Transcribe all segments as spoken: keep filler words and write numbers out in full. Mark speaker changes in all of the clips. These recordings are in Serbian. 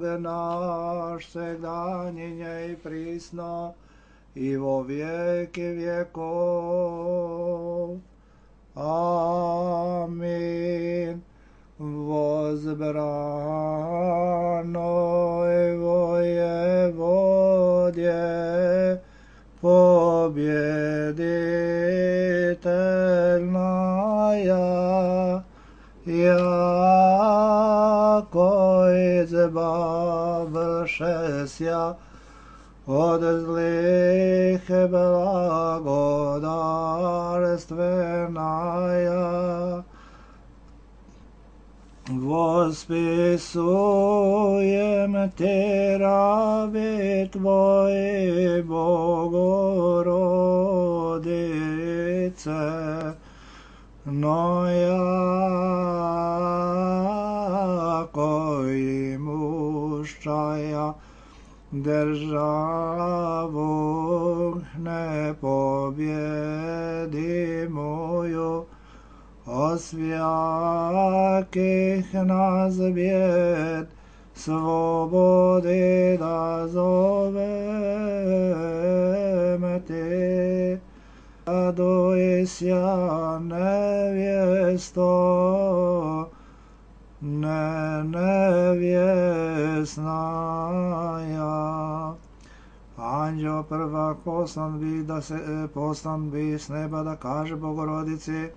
Speaker 1: Bog naš, segdanjenje i prisno, i vo vijeki vjekov. Amin. Возбранoj Воеводje, победительная, яко избавшеся от злых благодарственная, восписуем Те раби Твои, Богородице, но яко имущая державу непобедимую, освяких нас бед свободы дозовем Те. Радуйся, невесто, не невестная. Ангел prvak poslan bi da se poslan bi s neba da kaže Bogorodici: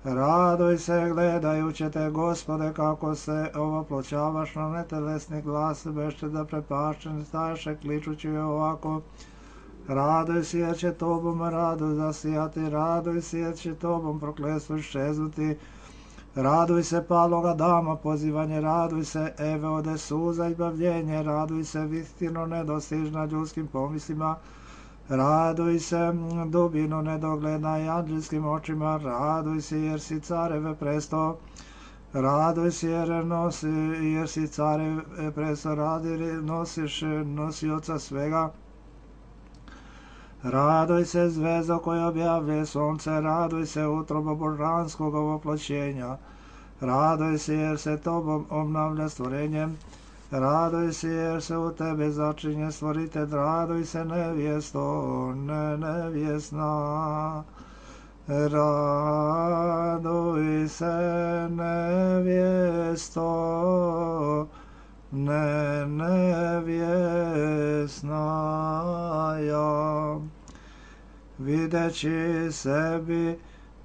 Speaker 1: raduj se gledajući te, Gospode, kako se ovoploćavaš na netelesni glas, bešte da prepašćen staješe kličući ovako: raduj se jer će tobom radu zasijati, raduj se jer će tobom prokletstvo iščeznuti, raduj se paloga dama pozivanje, raduj se Eve ode suza i bavljenje, raduj se vistino nedostižna ljudskim pomislima, raduj se dubino nedogledna i anđelskim očima, raduj se jer si careve presto, raduj se jer, nosi, jer si careve presto, radi nosiš nosioca svega, raduj se zvezdo koja objavljuje sunce, raduj se utrobo božanskog ovoploćenja, raduj se jer se tobom obnavlja stvorenjem, raduj se jer se u tebe začinje stvoritelj, raduj se nevjesto, ne nevjesna, raduj se nevjesto, ne nevjesnaja. Videći sebi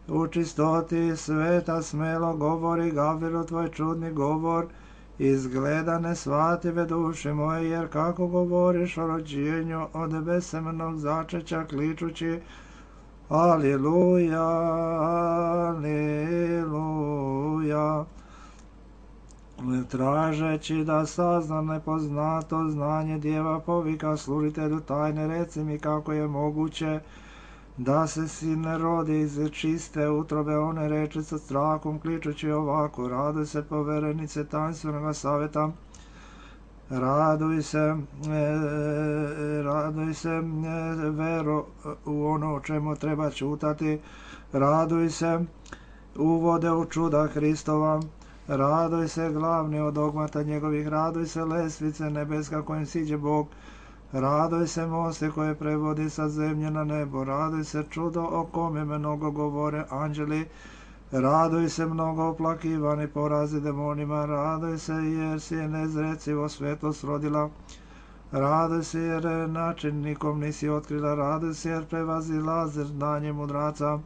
Speaker 1: u čistoti sveta smelo govori Gavrilu tvoj čudni govor, izgleda nesvative duše moje, jer kako govoriš o rođenju od besemenog začeća kličući Aliluja, Aliluja, tražeći da sazna nepoznato znanje djeva povika služitelju tajne, reci mi kako je moguće da se sin ne rodi iz čiste utrobe, one reči sa strahom kličući ovako: raduj se poverenice tajnstvenog saveta, raduj se, e, raduj se e, vero u ono o čemu treba čutati, raduj se uvode u čuda Hristova, raduj se glavni od dogmata njegovih, raduj se lestvice nebeska kojim siđe Bog, raduj se moste koje prevodi sa zemlje na nebo, raduj se čudo o kome mnogo govore anđeli, raduj se mnogo oplakivani porazi demonima, raduj se jer si je nezrecivo svetost rodila, raduj se jer način nikom nisi otkrila, raduj se jer prevazilaze znanje mudraca,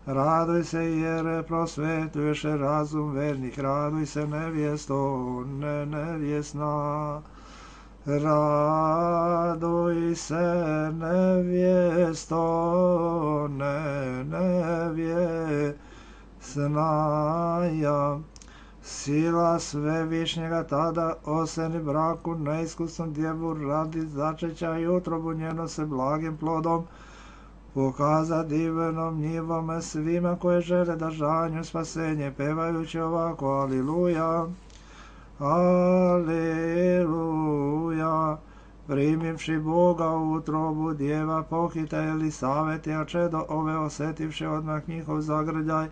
Speaker 1: raduj se jer prosvetuješ razum vernih, raduj se nevjesto, ne nevjesna, raduj se nevjesto, ne nevjesnaja. Sila svevišnjega tada oseni braku neiskusnom djevu radi začeća i utrobu njeno se blagim plodom pokaza divnom njivome svima koje žele da žanju spasenje, pevajući ovako: Aliluja, Aliluja. Primivši Boga u utrobu djeva pohita Elisavet, a čedo ove osetivši odmah njihov zagrljaj,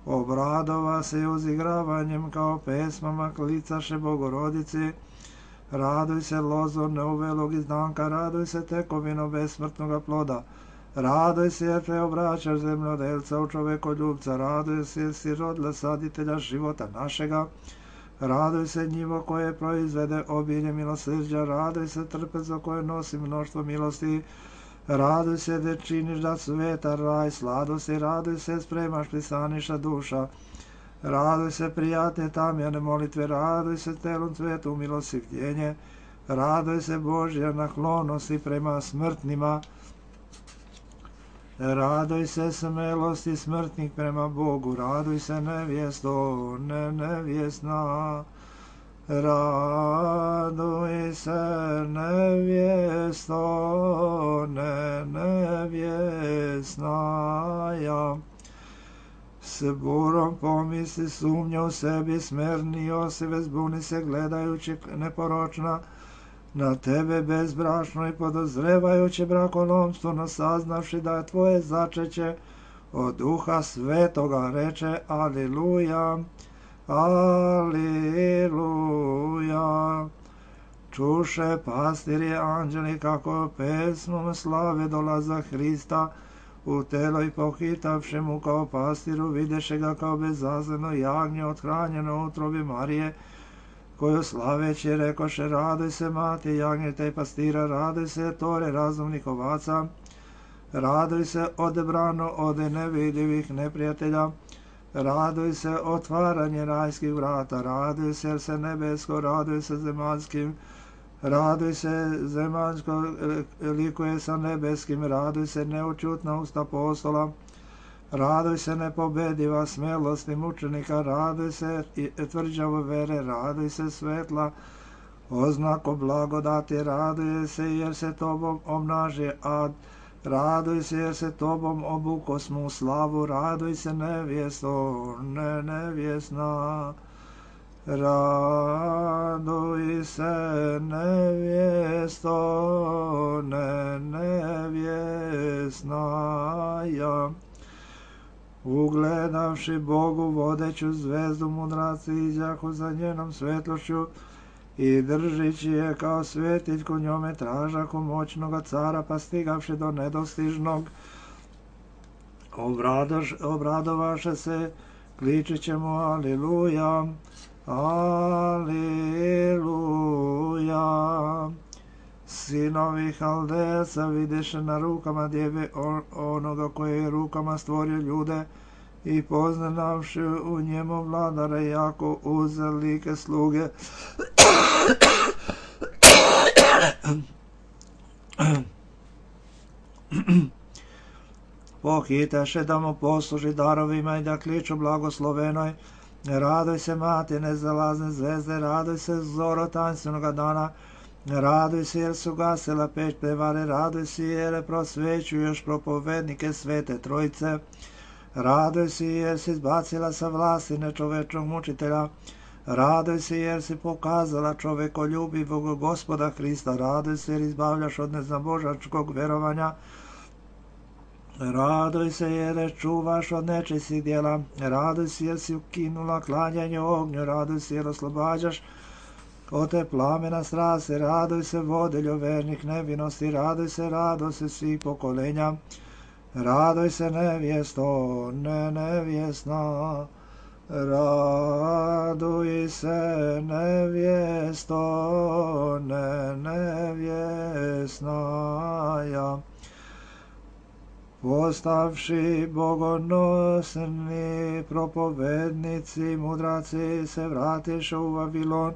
Speaker 1: obradova se uzigravanjem kao pesmama klicaše Bogorodici, Raduj se lozo neuvelog izdanka, raduj se tekovino besmrtnoga ploda. Raduj se jer preobraćaš zemljodelca u čovekoljubca, raduj se jer si rodila saditelja života našega. Raduj se njivo koje proizvede obilje milosrđa, raduj se trpezo koje nosi mnoštvo milosti. Raduj se da činiš da sveta raj sladosti, raduj se spremaš pristaniša duša. Raduj se prijatne tamjane molitve, raduj se telom cvetu milosivljenje, raduj se Božja naklonosti prema smrtnima. Raduj se smelosti smrtnih prema Bogu, raduj se nevjesto, ne nevjesna. Raduj se nevjesto, ne nevjesnaja. S burom pomisli sumnja u sebi, smerni Josive zbuni se gledajući neporočna na tebe bezbrašno i podozrevajući brakolomstvo, saznavši da je tvoje začeće od Duha Svetoga, reče Aliluja, Aliluja. Čuše pastiri anđeli kako pesmom slave dolaza Hrista u telo i pohitavši mu kao pastiru, videše ga kao bezazleno jagnje othranjeno u utrobi Marije, koju slaveći rekoše, raduj se mati jagnjeta i pastira, raduj se tore razumnih ovaca, raduj se odebrano od nevidljivih neprijatelja, raduj se otvaranje rajskih vrata, raduj se jer se nebesko, raduj se zemaljskim, raduj se zemaljsko likuje sa nebeskim, raduj se neučutna usta apostola, raduj se nepobediva smelosti mučenika, raduj se tvrđavo vere, raduj se svetla oznako blagodati, raduj se jer se tobom omnaži ad, raduj se jer se tobom obukosmo u slavu, raduj se nevjesto, ne nevjesna. Raduj se nevjesto, ne nevjesnaja. Ugledavši Bogu vodeću zvezdu, mudraci iđahu za njenom svetlošću i držići je kao svetiljku, njome tražahu moćnoga cara, pa stigavši do nedostižnog, obradovaše se, kličeći mu Aliluja, Aliluja. Sinovi Haldeca videše na rukama djeve onoga koje je rukama stvorio ljude i poznavši u njemu vladara, jako uzelike sluge pohitaše da mu posluži darovima i da kliču blagoslovenoj. Raduj se mati nezalazne zvezde, raduj se zoro tanstvenoga dana, raduj se jer su gasila peć prevare, raduj se jer prosvećuješ propovednike svete trojice, raduj se jer si izbacila sa vlasti nečovečnog mučitelja, raduj se jer si pokazala čovekoljubivog Gospoda Hrista, raduj se jer izbavljaš od neznabožačkog verovanja, raduj se jer čuvaš od nečistih djela, raduj se jer si ukinula klanjanje ognju, raduj se jer oslobađaš od te plamena strasti, raduj se vodiljo vernih nevinosti, raduj se radosti svih pokolenja, raduj se nevjesto, ne nevjesna, raduj se nevjesto, ne nevjesnaja. Postavši bogonosni propovednici, mudraci se vratiše u Vavilon,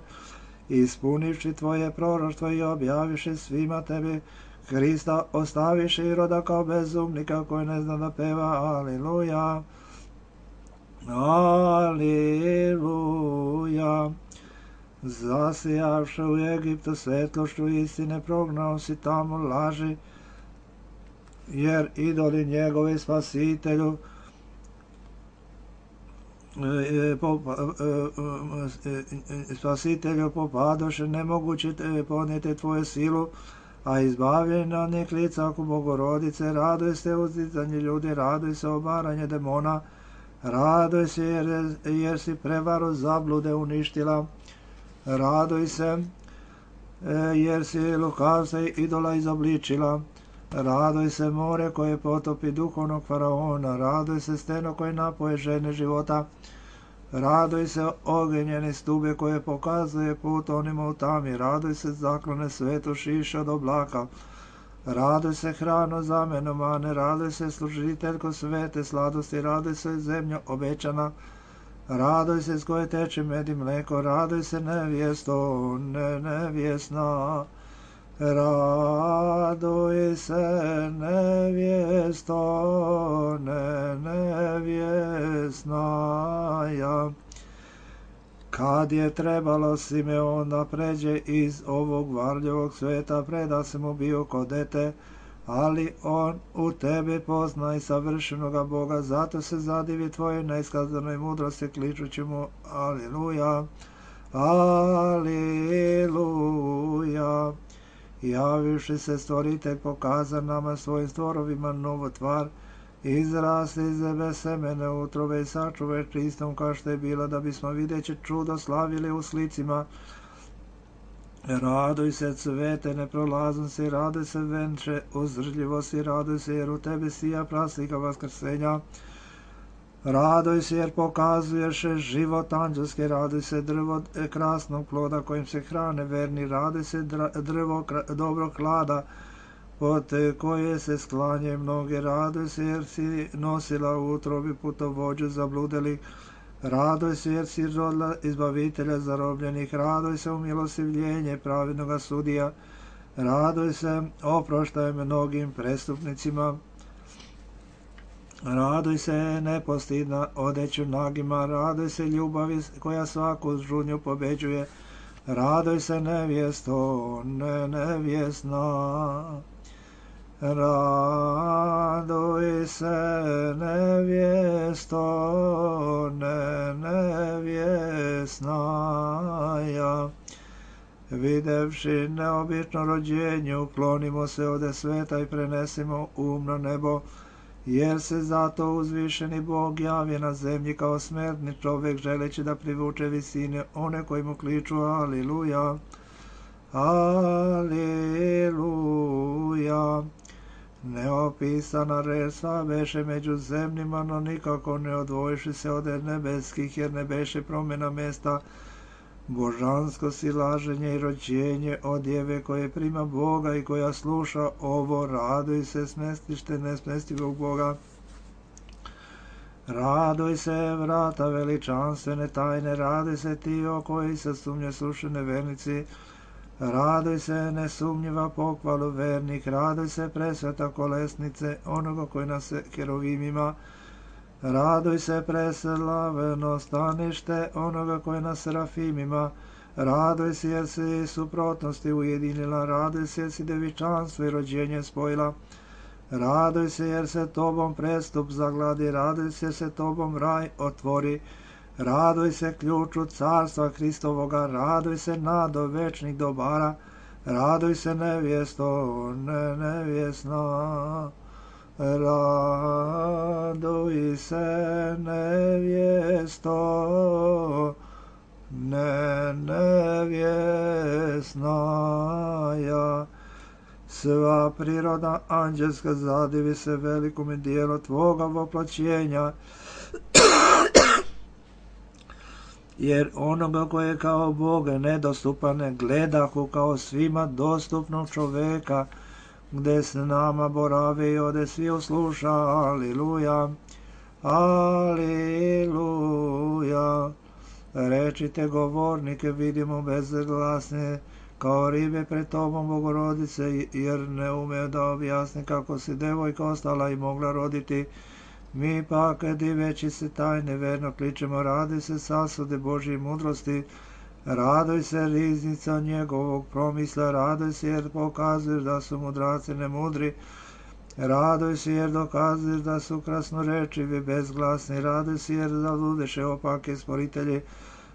Speaker 1: ispunivši tvoje proroštvo i objaviše svima tebi Hrista, ostaviše Iroda kao bezumnika koji ne zna da peva. Aliluja, aliluja. Zasijavše u Egiptu svetlošću istine, prognao si tamo laži, jer idoli njegovi spasitelju spasitelju popadoše, nemoguće podnijeti tvoju silu, a izbavljeni od njih lica oko Bogorodice. Raduj se uzdizanje ljudi, raduj se obaranje demona, raduj se jer, jer si prevaru zablude uništila, raduj se jer si lukavca i idola izobličila. Radoj se more koje potopi duhovnog faraona, radoj se steno koje napoje žene života, radoj se ogenjene stube koje pokazuje put onima u tami, radoj se zaklone svetu šiša od oblaka, radoj se hrano zameno mane, radoj se služiteljko svete sladosti, radoj se zemlja obećana, radoj se s koje teče med i mleko, radoj se nevjesto, ne nevjesna, radoj se nevjesto, ne nevjesna ja. Kad je trebalo Simeon da pređe iz ovog varljivog sveta, preda se mu bio ko dete, ali on u tebe pozna i savršenoga Boga, zato se zadivi tvojoj neiskazanoj mudrosti, kličući mu Aliluja, Aliluja. Javivši se stvoritelj pokaza nama svojim stvorovima novu tvar, izrasli iz zebe semene utrove i sačuve čistom kao što je bila, da bismo videći čudo slavili u slicima. Raduj se cvete neprolaznosti, raduj se venče uzdržljivosti, raduj se jer u tebi sija praslika vaskrsenja. Raduj se jer pokazuješ život anđelski, raduj se drvo krasnog ploda kojim se hrane verni, raduj se drvo dobrog klada pod koje se sklanje mnoge, raduj se jer si nosila u utrobi putovođu zabludeli, raduj se jer si rodila izbavitelja zarobljenih, raduj se u milostivljenje pravednoga sudija, raduj se oproštaj mnogim prestupnicima, raduj se nepostidna odeću nagima, raduj se ljubavi koja svaku žudnju pobeđuje, raduj se nevjesto, ne nevjesna, raduj se nevjesto, ne nevjesna ja. Videvši neobično rođenje, uklonimo se ode sveta i prenesimo um na nebo, jer se zato uzvišeni Bog javi na zemlji kao smrtni čovjek, želeći da privuče visine one koji mu kliču Aliluja, Aliluja. Neopisana reč sva beše među zemljima, no nikako ne odvojiši se od nebeskih, jer ne beše promjena mesta, božansko silaženje i rođenje od djeve koje prima Boga i koja sluša ovo, raduj se smestište nesmestivog Boga. Raduj se vrata veličanstvene tajne, raduj se ti o koji se sumnje slušene vernici, raduj se nesumnjiva pohvalu vernih, raduj se presveta kolesnice onoga koji nas kerovimima, raduj se preslaveno stanište onoga koji nas serafimima, raduj se jer si suprotnosti ujedinila, raduj se jer si devičanstvo i rođenje spojila, raduj se jer se tobom prestup zagladi, raduj se jer se tobom raj otvori, raduj se ključu carstva Hristovoga, raduj se nado večnih dobara, raduj se nevjesto, ne nevjesna, raduj se nevjesto, ne nevjesna ja. Sva priroda anđelska zadivi se velikome dijelu tvoga voplaćenja, jer onoga koje kao Boga nedostupane gledahu kao svima dostupnog čoveka, gde s nama borave i ode svi usluša, Aliluja, Aliluja. Rečite govornike, vidimo bezglasne, kao ribe pred tobom Bogorodice, jer ne ume da objasni kako si devojka ostala i mogla roditi. Mi pak, diveći se tajne, verno kličemo, raduj se sasude Božje mudrosti, raduj se riznica njegovog promisla, raduj se jer pokazuješ da su mudraci nemudri, raduj se jer dokazuješ da su krasnorečivi bezglasni, raduj se jer zaludeše opake sporitelji,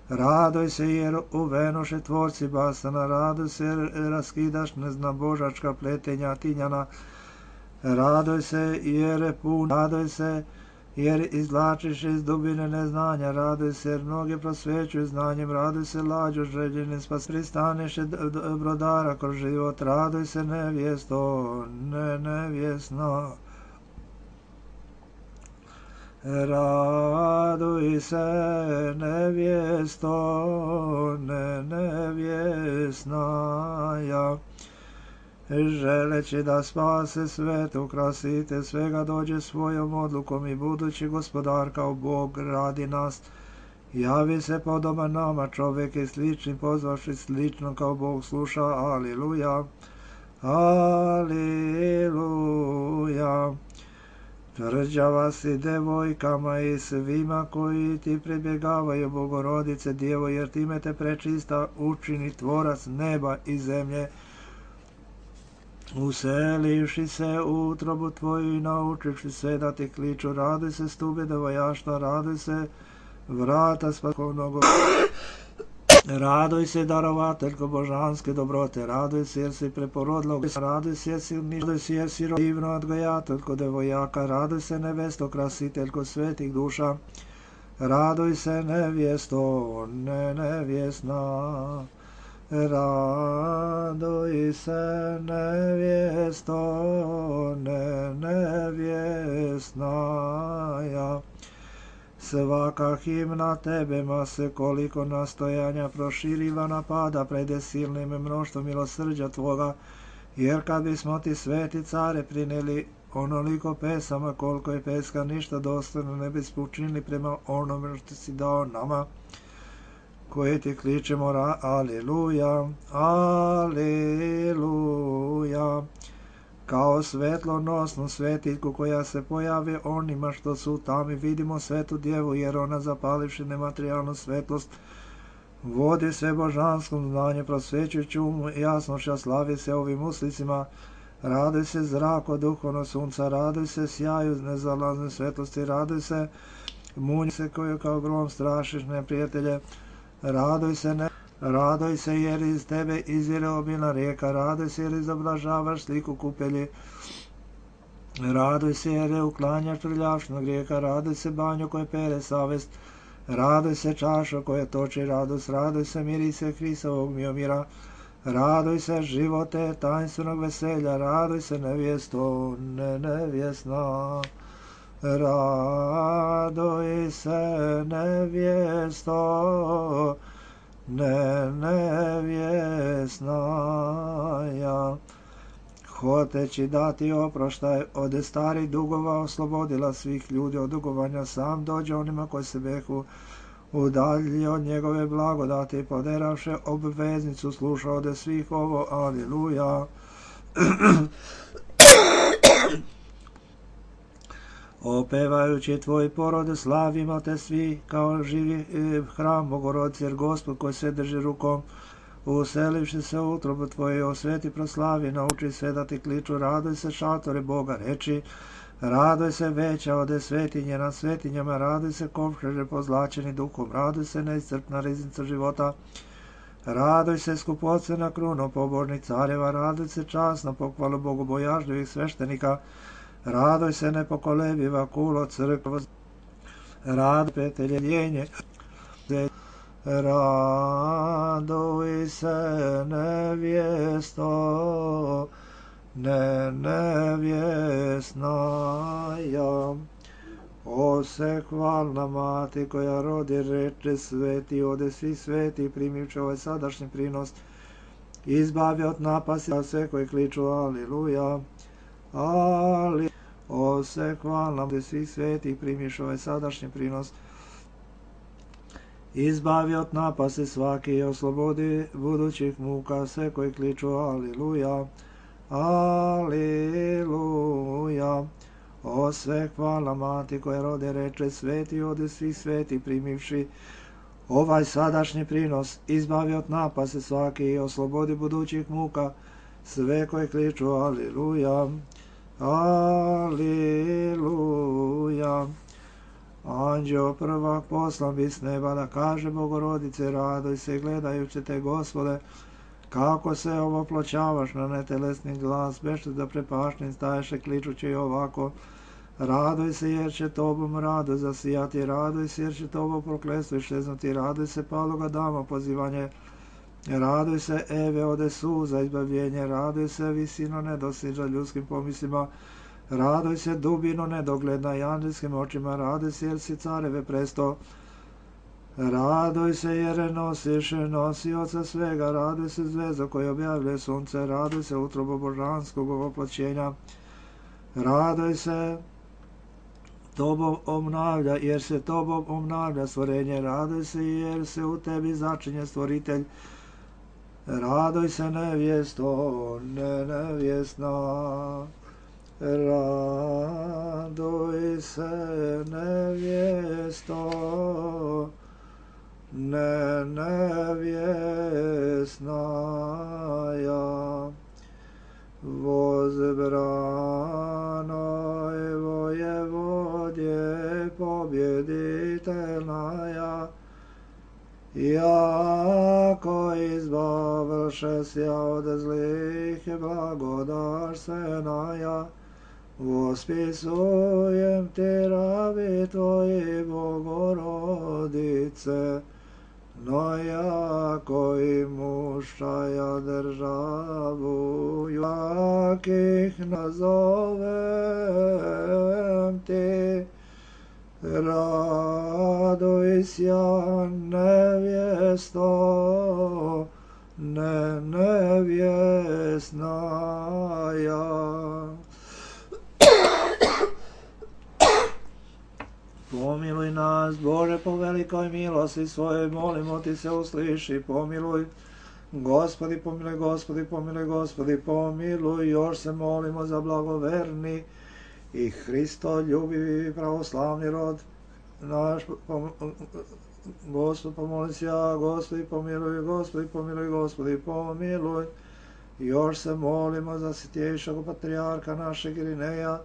Speaker 1: raduj se jer uvenoše tvorci basana, raduj se jer raskidaš neznabožačka pletenja tinjana, raduj se jer je pun, raduj se jer izvlačiš iz dubine neznanja, raduj se jer mnoge prosvećuju znanjem, raduj se lađo željenim spas, pristaneš brodara kroz život, raduj se nevjesto, ne nevjesna. Raduj se nevjesto, ne nevjesnaja, želeći da spase svet, ukrasite svega, dođe svojom odlukom i budući gospodar kao Bog radi nas. Javi se podoban nama čovjek i slični, pozvaši slično kao Bog sluša. Aliluja, aliluja. Tvrđava si devojkama i svima koji ti pribjegavaju, Bogorodice Djevo, jer time te prečista učini tvorac neba i zemlje. Uselivši se u utrobu tvoju i naučivši sve da ti kliču, raduj se stube devojaštva, raduj se vrata spaskovnog, raduj se darovateljko božanske dobrote, raduj se jer si preporodila, raduj se jer si raduj se jer si divno odgojateljko devojaka, raduj se nevesto krasiteljko svetih duša, raduj se nevjesto, ne nevjesna. Raduj se nevjesto, ne nevjesnaja. Svaka himna tebema se koliko nastojanja proširiva napada prede silnim mnoštvom milosrđa tvoga, jer kad bismo ti sveti care prineli onoliko pesama koliko je peska ništa dostojno ne bismo učinili prema onome što si dao nama, koje ti kličemo, aliluja, aliluja, kao svetlonosnu svetiljku koja se pojave onima što su u tami, vidimo svetu djevu, jer ona zapalivši nematerijalnu svetlost, vodi sve božanskom znanje, prosvećujući umu jasnošća, slavi se ovim uslicima, raduj se zrako duhovno sunca, raduj se sjaju nezalazne svetlosti, raduj se munji se koju kao grom strašiš neprijatelje, raduj se, ne, raduj se jer iz tebe izvire obilna rijeka, raduj se jer izoblažavaš sliku kupelji, raduj se jer je uklanjaš trljavšnog grijeka, raduj se banjo koje pere savest, raduj se čašo koje toči radost, raduj se mirise Hristovog miomira, raduj se živote tajnstvenog veselja, raduj se nevjesto, ne nevjesna. Raduj se nevjesto, ne nevjesnaja, hoteći dati oproštaj od starih dugova, oslobodila svih ljudi od dugovanja, sam dođe onima koji se behu udalji od njegove blagodati, poderavše obveznicu, sluša ode svih ovo, aliluja. Opevajući tvoj porod, slavimo te svi kao živi hram Bogorodice, jer Gospod koji sve drži rukom, uselivši se u utrobu tvoje, osveti proslavi, nauči sve da ti kliču, raduj se šatore Boga reči, raduj se veća ode svetinje na svetinjama, raduj se kovčeže pozlačeni duhom, raduj se neiscrpna riznica života, raduj se skupocena kruno pobožnih careva, raduj se časno pohvalu bogobojažljivih sveštenika, raduj se nepokolebiva kulo crkva, raduj peteljenje, raduj se nevjesto, ne nevjesnaja. O se hvalna mati koja rodi reče sveti, ode svi sveti, primivši ovaj sadašnji prinos, izbavi od napasti sve koji kliču aliluja, ali o se hvalna ode svi sveti, primiš ovaj sadašnji prinos, izbavi od napasti svaki i oslobodi budućih muka sve koji kliču aliluja, aliluja. O sve hvala mati koja rode reče sveti, ode svi sveti, primivši ovaj sadašnji prinos, izbavi od napasti svaki i oslobodi budućih muka sve koji kliču aliluja, aliluja. Anđeo prvak poslan bi s neba da kaže Bogorodice, raduj se gledajući te Gospode, kako se ovo pločavaš na netelesni glas, bešte da prepašnim staješe kličući ovako, Radoj se jer će tobom rado zasijati, radoj se jer će tobo prokletstvo iščeznuti, radoj se paloga dama pozivanje, radoj se Eve ode suza izbavljenje, radoj se visino nedostiža ljudskim pomislima, radoj se dubino nedogledna i anđelskim očima, radoj se jer si careve presto, radoj se jer nosiš nosioca svega, radoj se zvezda koja objavljuje sunce, radoj se utrobo božanskog oploćenja, radoj se tobom obnavlja, jer se tobom obnavlja stvorenje, radoj se jer se u tebi začinje stvoritelj, radoj se nevjesto, ne nevjesna, radoj se nevjesto, ne nevjesna ja, возбранoj воеводje побjeditelnaja, jako izbavlše sja od zlih blagodarstvena, vospisujem ti rabi tvoji Bogorodice, no jako i mušaja državu, jakih nazovem ti, raduj sja nevjesto, ne nevjesna ja. Pomiluj nas, Bože, po velikoj milosti svojoj, molimo ti se, usliši, pomiluj. Gospodi, pomiluj, Gospodi, pomiluj, Gospodi, pomiluj. Još se molimo za blagoverni i Hristo ljubivi pravoslavni rod naš. Gospod, pomoli se ja, Gospodi, pomiluj, Gospodi, pomiluj, Gospodi, pomiluj. Još se molimo za svjetejšeg patrijarha našeg Irineja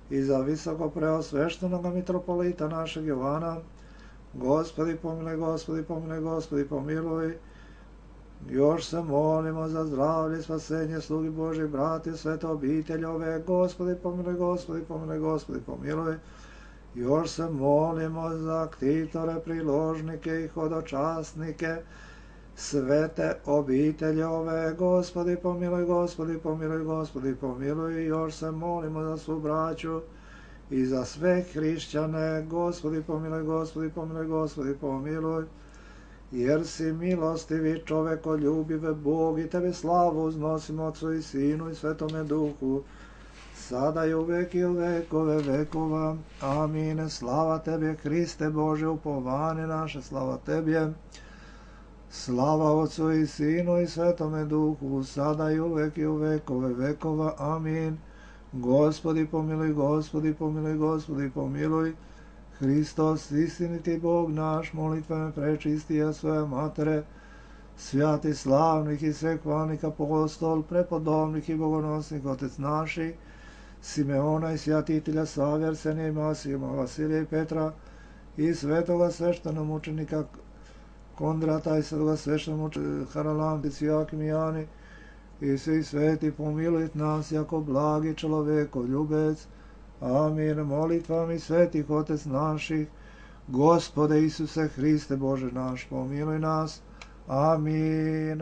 Speaker 1: i za visoko preosveštenog mitropolita našeg Jovana. Gospodi, pomiluj, Gospodi, pomiluj, Gospodi, pomiluj. Još se molimo za zdravlje i spasenje slugi Božih, brati, svete obiteljove. Gospodi, pomiluj, Gospodi, pomiluj, Gospodi, pomiluj. Još se molimo za ktitore, priložnike i hodočasnike, svete obiteljove. Gospodi, pomiluj, Gospodi, pomiluj, Gospodi, pomiluj. Još se molimo za svu braću i za sve hrišćane. Gospodi, pomiluj, Gospodi, pomiluj, Gospodi, pomiluj. Jer si milostivi, čovekoljubive Bog, i tebi slavu uznosimo Otcu i Sinu i Svetome Duhu, sada i uvek i u vekove vekova. Amin. Slava tebi, Hriste Bože, upovanje naše, slava tebi. Slava Otcu i Sinu i Svetome Duhu, sada i uvek i u vekove vekova. Amin. Gospodi, pomiluj, Gospodi, pomiluj, Gospodi, pomiluj. Hristos, istiniti Bog naš, molitvama prečistija svoje matere, svjati slavnih i svekvalnih apostol, prepodobnih i bogonosnih otec naših, Simeona i svjatitelja Save, Arsenija i Masijema, Vasilija i Petra, i svetoga sveštenomučenika Kondrata i svetoga sveštenomučenika Haralambi, Svijakim i Jani, i svi sveti, pomiluj nas jako blagi čovjeko ljubec. Amin. Molitvami svetih otec naših, Gospode Isuse Hriste Bože naš, pomiluj nas. Amin.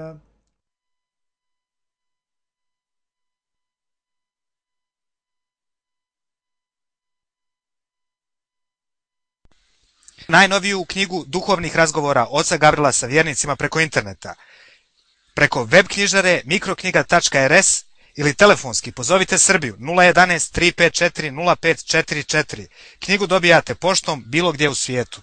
Speaker 2: Najnoviju knjigu duhovnih razgovora oca Gavrila sa vjernicima preko interneta, preko web knjižare mikroknjiga tačka rs ili telefonski pozovite Srbiju nula jedanaest tri pet četiri nula pet četiri četiri. Knjigu dobijate poštom bilo gdje u svijetu.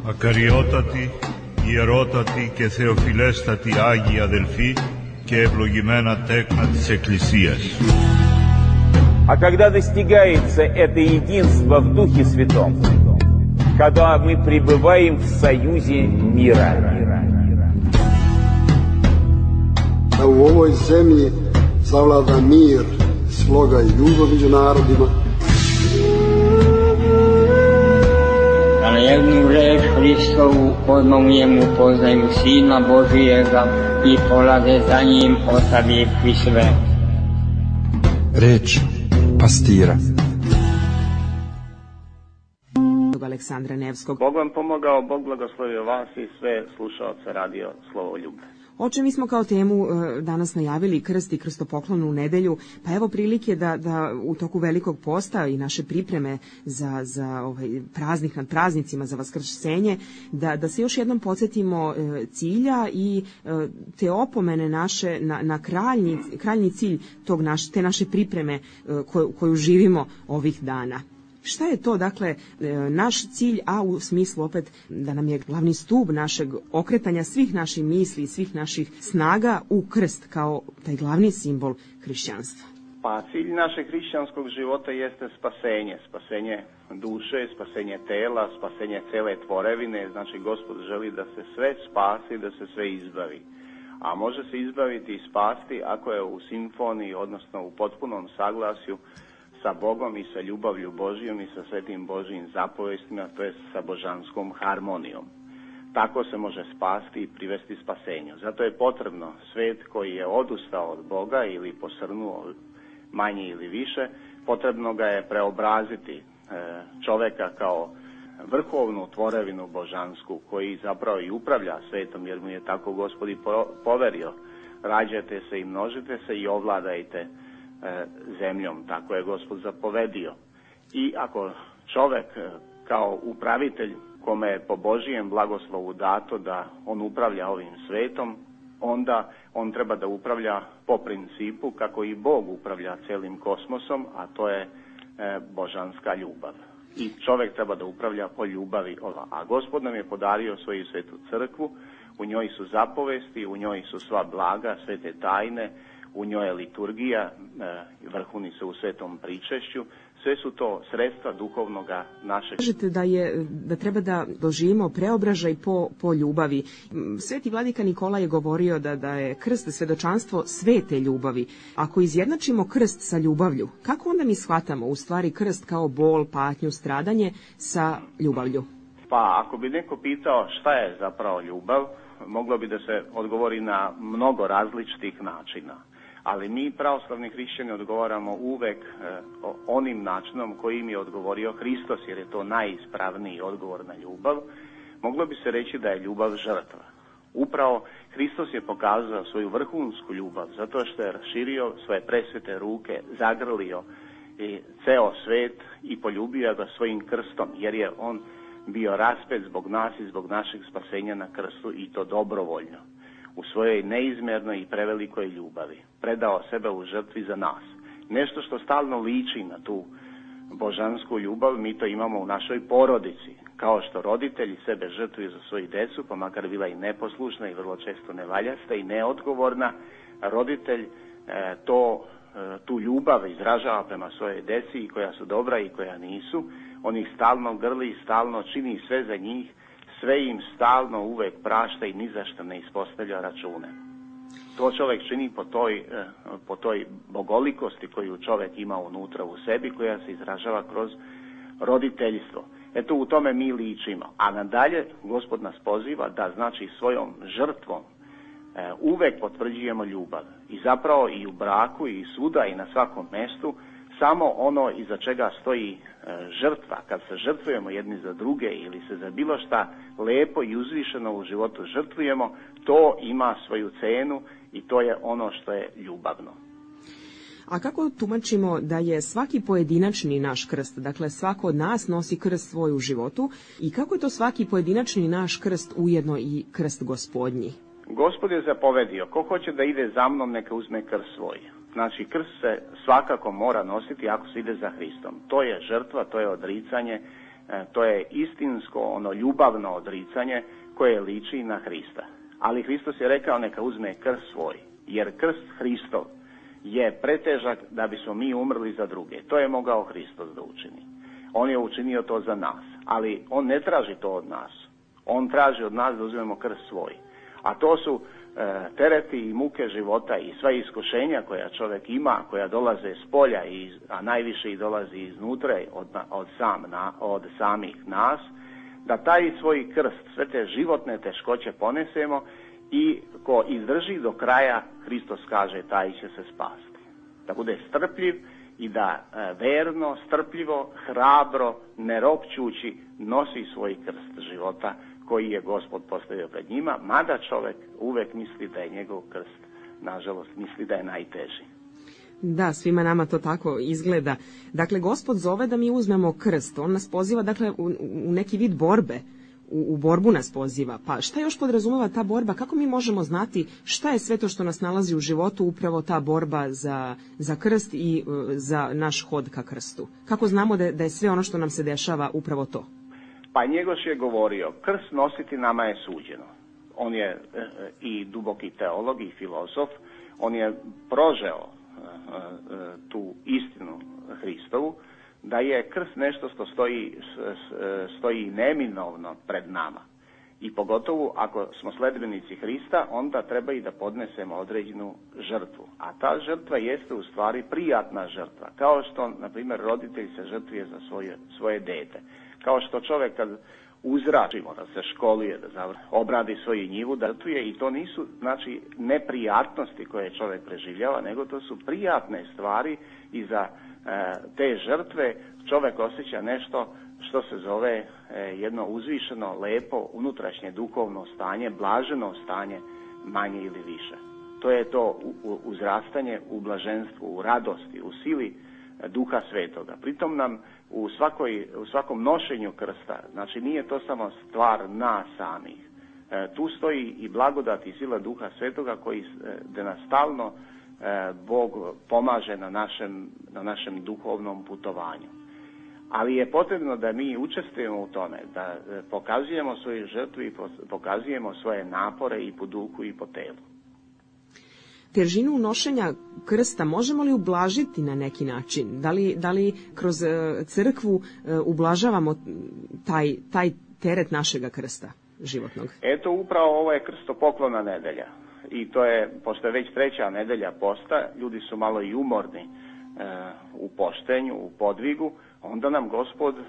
Speaker 3: Ακαριότατοι, ιερότατοι και θεοφιλέστατοι Άγιοι αδελφοί και ευλογημένα τέκνα της Εκκλησίας.
Speaker 4: А когда достигается это единство в Духе Святом, когда мы пребываем в союзе мира.
Speaker 5: Da u ovoj zemlji zavlada mir, sloga i ljubav među narodima.
Speaker 6: Da na jednu reč Hristovu odmomljemu poznaju Sina Božijega i polade za njim ostavivši sve.
Speaker 7: Reč pastira.
Speaker 8: Aleksandra Nevskog.
Speaker 9: Bog vam pomogao, Bog blagoslovio vas i sve slušaoce radio Slovoljube.
Speaker 8: Oče, mi smo kao temu danas najavili krst i krstopoklon u nedelju, pa evo prilike da, da u toku Velikog posta i naše pripreme za, za ovaj praznik nad praznicima, za Vaskrsenje, da, da se još jednom podsjetimo cilja i te opomene naše na, na kraljni, kraljni cilj tog naš, te naše pripreme koju, koju živimo ovih dana. Šta je to, dakle, naš cilj, a u smislu opet da nam je glavni stub našeg okretanja svih naših misli i svih naših snaga u krst kao taj glavni simbol hrišćanstva?
Speaker 9: Pa cilj našeg hrišćanskog života jeste spasenje, spasenje duše, spasenje tela, spasenje cele tvorevine, znači Gospod želi da se sve spasi, da se sve izbavi. A može se izbaviti i spasti ako je u simfoniji, odnosno u potpunom saglasju sa Bogom i sa ljubavlju Božijom i sa svetim Božijim zapovestima, to je sa božanskom harmonijom. Tako se može spasti i privesti spasenju. Zato je potrebno svet koji je odustao od Boga ili posrnuo manje ili više, potrebno ga je preobraziti čoveka kao vrhovnu tvorevinu božansku koji zapravo i upravlja svetom, jer mu je tako Gospod i poverio. Rađajte se i množite se i ovladajte zemljom, tako je Gospod zapovedio. I ako čovek kao upravitelj kome je po Božijem blagoslovu dato da on upravlja ovim svetom, onda on treba da upravlja po principu kako i Bog upravlja celim kosmosom, a to je božanska ljubav. I čovek treba da upravlja po ljubavi. A Gospod nam je podario svoju svetu crkvu, u njoj su zapovesti, u njoj su sva blaga, svete tajne, u njoj je liturgija, vrhuni se u svetom pričešću, sve su to sredstva duhovnoga našeg.
Speaker 8: Kažete da je da treba da doživimo preobražaj po, po ljubavi. Sveti vladika Nikola je govorio da, da je krst svedočanstvo svete ljubavi. Ako izjednačimo krst sa ljubavlju, kako onda mi shvatamo u stvari krst kao bol, patnju, stradanje sa ljubavlju?
Speaker 9: Pa ako bi neko pitao šta je zapravo ljubav, moglo bi da se odgovori na mnogo različitih načina. Ali mi, pravoslavni hrišćani, odgovaramo uvek eh, onim načinom kojim je odgovorio Hristos, jer je to najispravniji odgovor na ljubav. Moglo bi se reći da je ljubav žrtva. Upravo Hristos je pokazao svoju vrhunsku ljubav, zato što je raširio svoje presvete ruke, zagrlio i ceo svet i poljubio ga svojim krstom, jer je on bio raspet zbog nas i zbog našeg spasenja na krstu, i to dobrovoljno. U svojoj neizmjernoj i prevelikoj ljubavi predao sebe u žrtvi za nas. Nešto što stalno liči na tu božansku ljubav, mi to imamo u našoj porodici. Kao što roditelji sebe žrtvuju za svoju decu, pa makar bila i neposlušna i vrlo često nevaljasta i neodgovorna, roditelj e, to, e, tu ljubav izražava prema svojoj deci, i koja su dobra i koja nisu. On ih stalno grli i stalno čini sve za njih, sve im stalno uvek prašta i ni za što ne ispostavlja račune. To čovjek čini po toj, po toj bogolikosti koju čovjek ima unutra u sebi, koja se izražava kroz roditeljstvo. Eto, u tome mi ličimo. A nadalje, Gospod nas poziva da, znači, svojom žrtvom uvek potvrđujemo ljubav. I zapravo i u braku i svuda i na svakom mestu, samo ono iza čega stoji žrtva, kad se žrtvujemo jedni za druge ili se za bilo šta lepo i uzvišeno u životu žrtvujemo, to ima svoju cenu i to je ono što je ljubavno.
Speaker 8: A kako tumačimo da je svaki pojedinačni naš krst, dakle svako od nas nosi krst svoj u životu, i kako je to svaki pojedinačni naš krst ujedno i krst Gospodnji?
Speaker 9: Gospod je zapovedio, ko hoće da ide za mnom, neka uzme krst svoj. Znači, krst se svakako mora nositi ako se ide za Hristom. To je žrtva, to je odricanje, To je istinsko, ono ljubavno odricanje koje liči na Hrista. Ali Hristos je rekao neka uzme krst svoj, jer krst Hristov je pretežak da bismo mi umrli za druge. To je mogao Hristos da učini. On je učinio to za nas, ali on ne traži to od nas. On traži od nas da uzmemo krst svoj. A to su e, tereti i muke života i sva iskušenja koja čovjek ima, koja dolaze s polja, iz, a najviše i dolazi iznutra od, od, sam, na, od samih nas, da taj svoj krst, sve te životne teškoće ponesemo i ko izdrži do kraja, Hristos kaže, taj će se spasti. Da bude strpljiv i da e, verno, strpljivo, hrabro, ne ropćući, nosi svoj krst života koji je Gospod postavio pred njima, mada čovjek uvek misli da je njegov krst, nažalost, misli da je najteži.
Speaker 8: Da, svima nama to tako izgleda. Dakle, Gospod zove da mi uzmemo krst. On nas poziva, dakle, u, u neki vid borbe. U, u borbu nas poziva. Pa šta još podrazumeva ta borba? Kako mi možemo znati šta je sve to što nas nalazi u životu, upravo ta borba za, za krst i uh, za naš hod ka krstu? Kako znamo da, da je sve ono što nam se dešava upravo to?
Speaker 9: Pa Njegoš je govorio, krst nositi nama je suđeno. On je e, i duboki teolog i filozof, on je prožeo e, e, tu istinu Hristovu, da je krst nešto što stoji, stoji neminovno pred nama. I pogotovo ako smo sledbenici Hrista, onda treba i da podnesemo određenu žrtvu. A ta žrtva jeste u stvari prijatna žrtva, kao što, na primjer, roditelj se žrtvuje za svoje, svoje dete. Kao što čovjek kad uzračimo, da se školuje, da završi, obradi svoju njivu, da žrtvuje, i to nisu, znači, neprijatnosti koje čovjek preživljava, nego to su prijatne stvari i za e, te žrtve čovjek osjeća nešto što se zove e, jedno uzvišeno, lepo, unutrašnje duhovno stanje, blaženo stanje, manje ili više. To je to uzrastanje u blaženstvu, u radosti, u sili Duha Svetoga. Pritom nam u, svakoj, u svakom nošenju krsta, znači nije to samo stvar nas samih. E, tu stoji i blagodat i sila Duha Svetoga koji e, da nas stalno e, Bog pomaže na našem, na našem duhovnom putovanju. Ali je potrebno da mi učestvujemo u tome, da e, pokazujemo svoju žrtvu i pokazujemo svoje napore i po duhu i po telu.
Speaker 8: Težinu nošenja krsta možemo li ublažiti na neki način? Da li, da li kroz crkvu ublažavamo taj, taj teret našega krsta životnog?
Speaker 9: Eto, upravo ovo je krstopoklona nedelja. I to je, pošto je već treća nedelja posta, ljudi su malo i umorni e, u poštenju, u podvigu, onda nam Gospod e,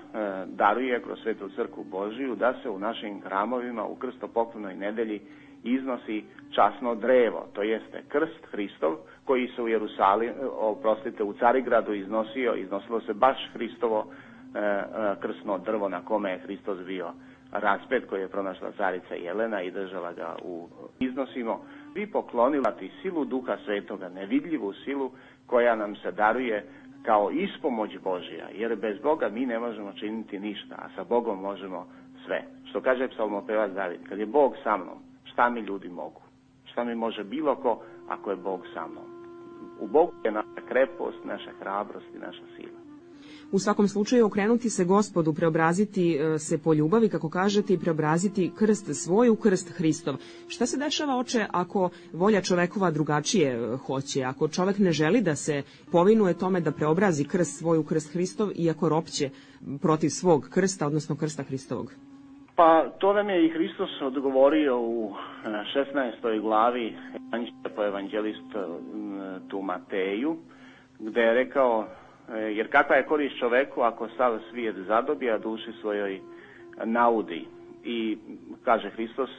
Speaker 9: daruje kroz Svetu crkvu Božiju da se u našim hramovima u krstopoklonoj nedelji iznosi časno drevo, to jeste krst Hristov, koji se u Jerusalimu, oprostite, u Carigradu iznosio, iznosilo se baš Hristovo e, e, krstno drvo na kome je Hristos bio raspet, koji je pronašla carica Jelena i držala ga u iznosimo. Vi poklonilati silu Duha Svetoga, nevidljivu silu koja nam se daruje kao ispomoć Božja, jer bez Boga mi ne možemo činiti ništa, a sa Bogom možemo sve. Što kaže psalmopevač David, kad je Bog sa mnom, šta mi ljudi mogu? Šta mi može bilo ko ako je Bog sa mnom? U Bogu je naša krepost, naša hrabrost i naša sila.
Speaker 8: U svakom slučaju okrenuti se Gospodu, preobraziti se po ljubavi, kako kažete, i preobraziti krst svoj u krst Hristov. Šta se dešava, oče, ako volja čovekova drugačije hoće, ako čovek ne želi da se povinuje tome da preobrazi krst svoj u krst Hristov, iako ropće protiv svog krsta, odnosno krsta Hristovog?
Speaker 9: Pa to nam je i Hristos odgovorio u šesnaestoj glavi po evanđelistu Mateju, gde je rekao, jer kakva je korist čoveku ako sav svijet zadobije, a duši svojoj naudi. I kaže Hristos,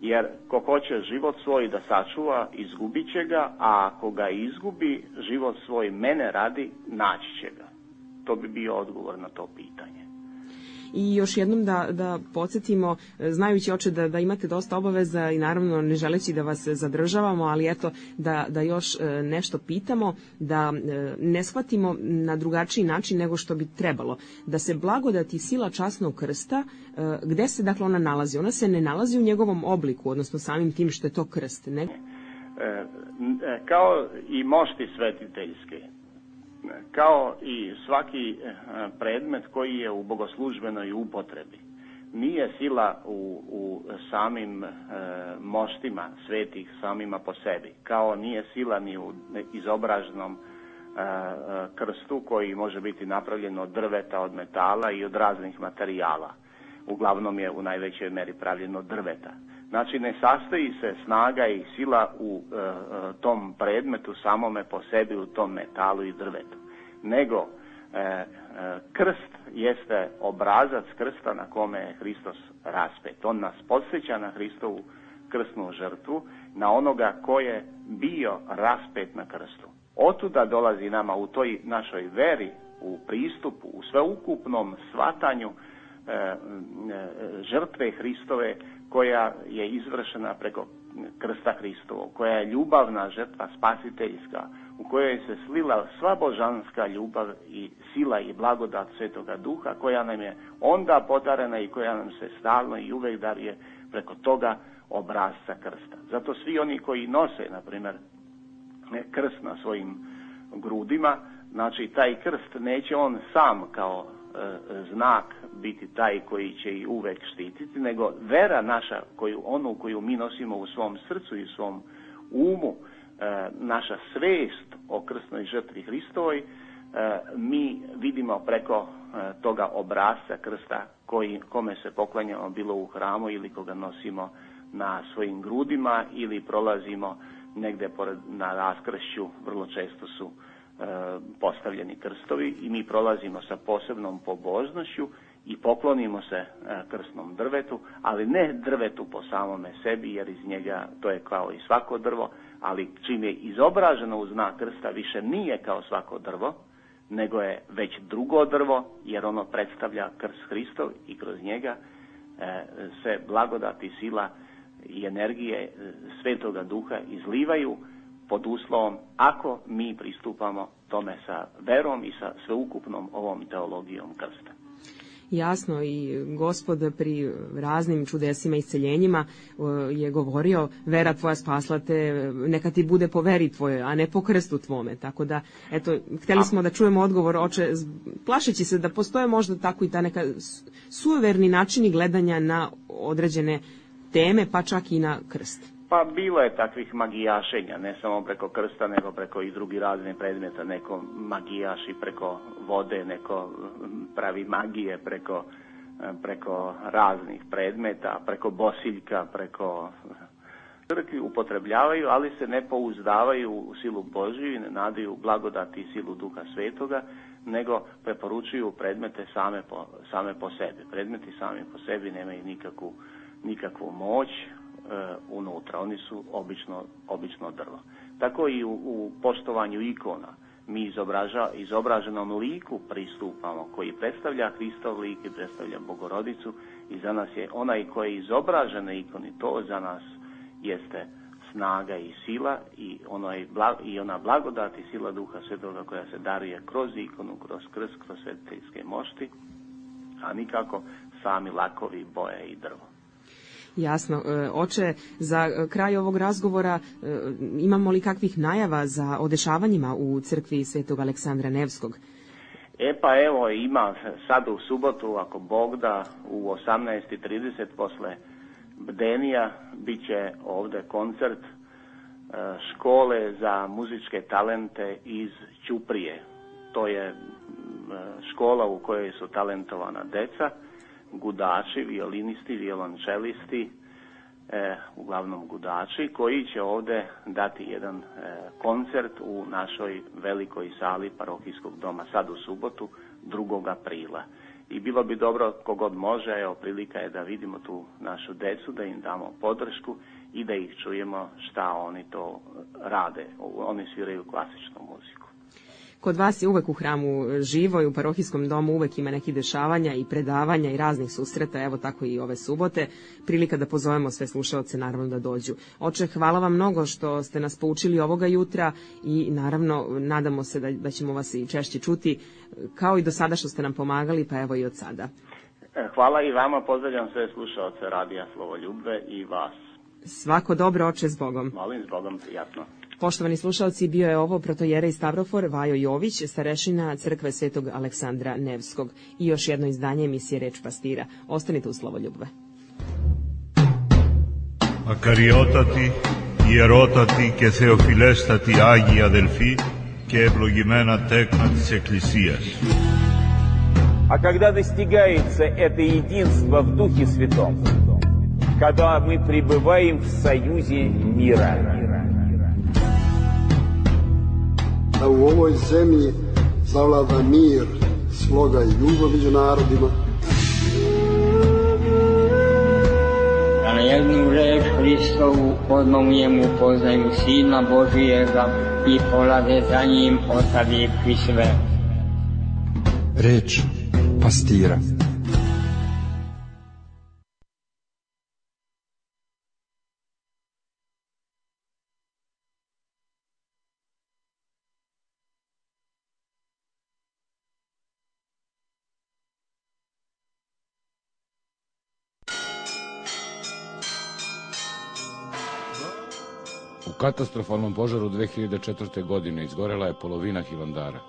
Speaker 9: jer ko hoće život svoj da sačuva, izgubit će ga, a ako ga izgubi, život svoj mene radi, naći će ga. To bi bio odgovor na to pitanje.
Speaker 8: I još jednom da, da podsjetimo, znajući, oče, da, da imate dosta obaveza i naravno ne želeći da vas zadržavamo, ali eto da, da još nešto pitamo, da ne shvatimo na drugačiji način nego što bi trebalo. Da se blagodat i sila časnog krsta, gde se dakle ona nalazi? Ona se ne nalazi u njegovom obliku, odnosno samim tim što je to krst, ne?
Speaker 9: E, kao i mošti svetiteljske, kao i svaki predmet koji je u bogoslužbenoj upotrebi. Nije sila u, u samim e, moštima svetih samima po sebi, kao nije sila ni u izobraženom e, krstu koji može biti napravljen od drveta, od metala i od raznih materijala. Uglavnom je u najvećoj meri pravljeno od drveta. Znači ne sastoji se snaga i sila u e, tom predmetu samome po sebi, u tom metalu i drvetu, nego e, e, krst jeste obrazac krsta na kome je Hristos raspet. On nas podsjeća na Hristovu krstnu žrtvu, na onoga ko je bio raspet na krstu. Otuda dolazi nama u toj našoj veri, u pristupu, u sveukupnom shvatanju e, e, žrtve Hristove koja je izvršena preko krsta Hristovog, koja je ljubavna žrtva spasiteljska, u kojoj se slila sva božanska ljubav i sila i blagodat Svetoga Duha, koja nam je onda podarena i koja nam se stalno i uvek daruje preko toga obrazca krsta. Zato svi oni koji nose, na primjer, krst na svojim grudima, znači taj krst neće on sam kao e, znak biti taj koji će i uvek štititi, nego vera naša, koju, onu koju mi nosimo u svom srcu i u svom umu, e, naša svest o krstnoj žrtvi Hristovoj, e, mi vidimo preko e, toga obrazca krsta koji, kome se poklanjamo bilo u hramu ili koga nosimo na svojim grudima ili prolazimo negde pored, na raskršću, vrlo često su e, postavljeni krstovi i mi prolazimo sa posebnom pobožnošću i poklonimo se e, krstnom drvetu, ali ne drvetu po samome sebi, jer iz njega to je kao i svako drvo, ali čim je izobraženo u znak krsta više nije kao svako drvo, nego je već drugo drvo, jer ono predstavlja krst Hristov i kroz njega e, se blagodat i sila i energije Svetoga Duha izlivaju pod uslovom ako mi pristupamo tome sa verom i sa sveukupnom ovom teologijom krsta.
Speaker 8: Jasno, i Gospod pri raznim čudesima i isceljenjima je govorio vera tvoja spasla te, neka ti bude po veri tvojoj, a ne po krstu tvome. Tako da, eto, htjeli smo da čujemo odgovor, oče, plašeći se da postoje možda tako i ta neka suverni načini gledanja na određene teme, pa čak i na krst.
Speaker 9: Pa bilo je takvih magijašenja, ne samo preko krsta, nego preko i drugi raznih predmeta. Neko magijaši preko vode, neko pravi magije preko, preko raznih predmeta, preko bosiljka, preko crkvi upotrebljavaju, ali se ne pouzdavaju u silu Božiju i ne nadaju blagodati i silu Duha Svetoga, nego preporučuju predmete same po, same po sebi. Predmeti sami po sebi nemaju nikakvu, nikakvu moć unutra, oni su obično, obično drvo. Tako i u, u poštovanju ikona. Mi izobraža, izobraženom liku pristupamo, koji predstavlja Hristov lik i predstavlja Bogorodicu, i za nas je onaj koji je izobražen na ikoni, to za nas jeste snaga i sila i, onaj, i ona blagodat i sila Duha Svetoga koja se daruje kroz ikonu, kroz krst, kroz svetiteljske mošti, a nikako sami lakovi, boje i drvo.
Speaker 8: Jasno. Oče, za kraj ovog razgovora imamo li kakvih najava za odešavanjima u crkvi Svetog Aleksandra Nevskog?
Speaker 9: E pa evo, ima sad u subotu, ako Bog da, u osamnaest i trideset posle bdenija bit će ovde koncert škole za muzičke talente iz Ćuprije. To je škola u kojoj su talentovana deca, gudači, violinisti, violončelisti, e, uglavnom gudači, koji će ovde dati jedan e, koncert u našoj velikoj sali parohijskog doma sad u subotu, drugog aprila. I bilo bi dobro, kogod može, evo, prilika je da vidimo tu našu decu, da im damo podršku i da ih čujemo šta oni to rade. Oni sviraju klasičnu muziku.
Speaker 8: Kod vas je uvek u hramu živo i u parohijskom domu uvek ima nekih dešavanja i predavanja i raznih susreta, evo tako i ove subote. Prilika da pozovemo sve slušaoce naravno da dođu. Oče, hvala vam mnogo što ste nas poučili ovoga jutra i naravno nadamo se da, da ćemo vas i češće čuti, kao i do sada što ste nam pomagali, pa evo i od sada.
Speaker 9: Hvala i vama, pozdravljam sve slušaoce Radija Slovoljubve i vas.
Speaker 8: Svako dobro, oče, s Bogom.
Speaker 9: Molim, s Bogom, prijatno.
Speaker 8: Poštovani slušalci, bio je ovo protojerej Stavrofor Vajo Jović, starešina crkve Svetog Aleksandra Nevskog. I još jedno izdanje emisije Reč pastira. Ostanite u Slovoljubve.
Speaker 3: Ακαριότατοι, ιερότατοι και θεοφιλέστατοι Άγιοι αδελφοί και ευλογημένα τέκνα της Εκκλησίας.
Speaker 4: А когда достигается это единство в Духе Святом, когда мы пребываем в союзе мира.
Speaker 5: Da u ovoj zemlji zavlada mir, sloga i ljubav među narodima.
Speaker 6: Da na jednu reč Hristovu odmah u njemu poznaju Sina Božijega i polade za njim ostavivši sve.
Speaker 7: Reč pastira.
Speaker 10: U katastrofalnom požaru dve hiljade četvrte. godine izgorela je polovina Hilandara.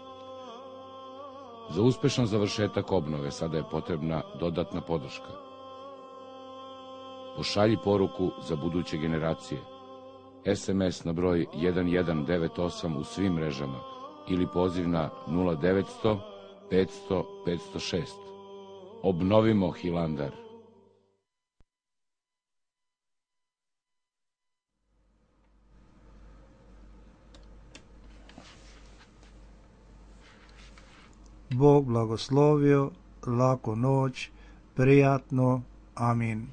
Speaker 10: Za uspešan završetak obnove sada je potrebna dodatna podrška. Pošalji poruku za buduće generacije. es em es na broj jedan jedan devet osam u svim mrežama ili poziv na nula devetsto petsto petsto šest. Obnovimo Hilandar.
Speaker 1: Bog blagoslovio, laku noć, prijatno, amin.